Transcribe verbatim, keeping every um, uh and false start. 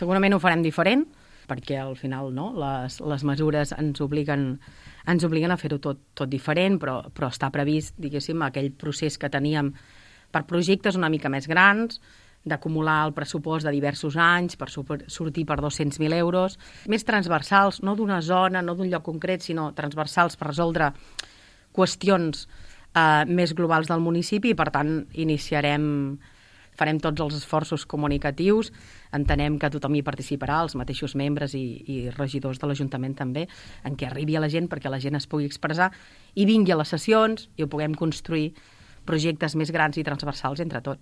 segurament ho farem diferent, perquè al final no, les, les mesures ens obliguen, ens obliguen a fer-ho tot, tot diferent, però, però està previst, diguéssim, aquell procés que teníem per projectes una mica més grans, d'acumular el pressupost de diversos anys per sortir per dos-cents mil euros, més transversals, no d'una zona, no d'un lloc concret, sinó transversals per resoldre qüestions eh, més globals del municipi i, per tant, iniciarem, farem tots els esforços comunicatius, entenem que tothom hi participarà, els mateixos membres i, i regidors de l'Ajuntament també, en què arribi a la gent perquè la gent es pugui expressar i vingui a les sessions i ho puguem construir projectes més grans i transversals entre tots.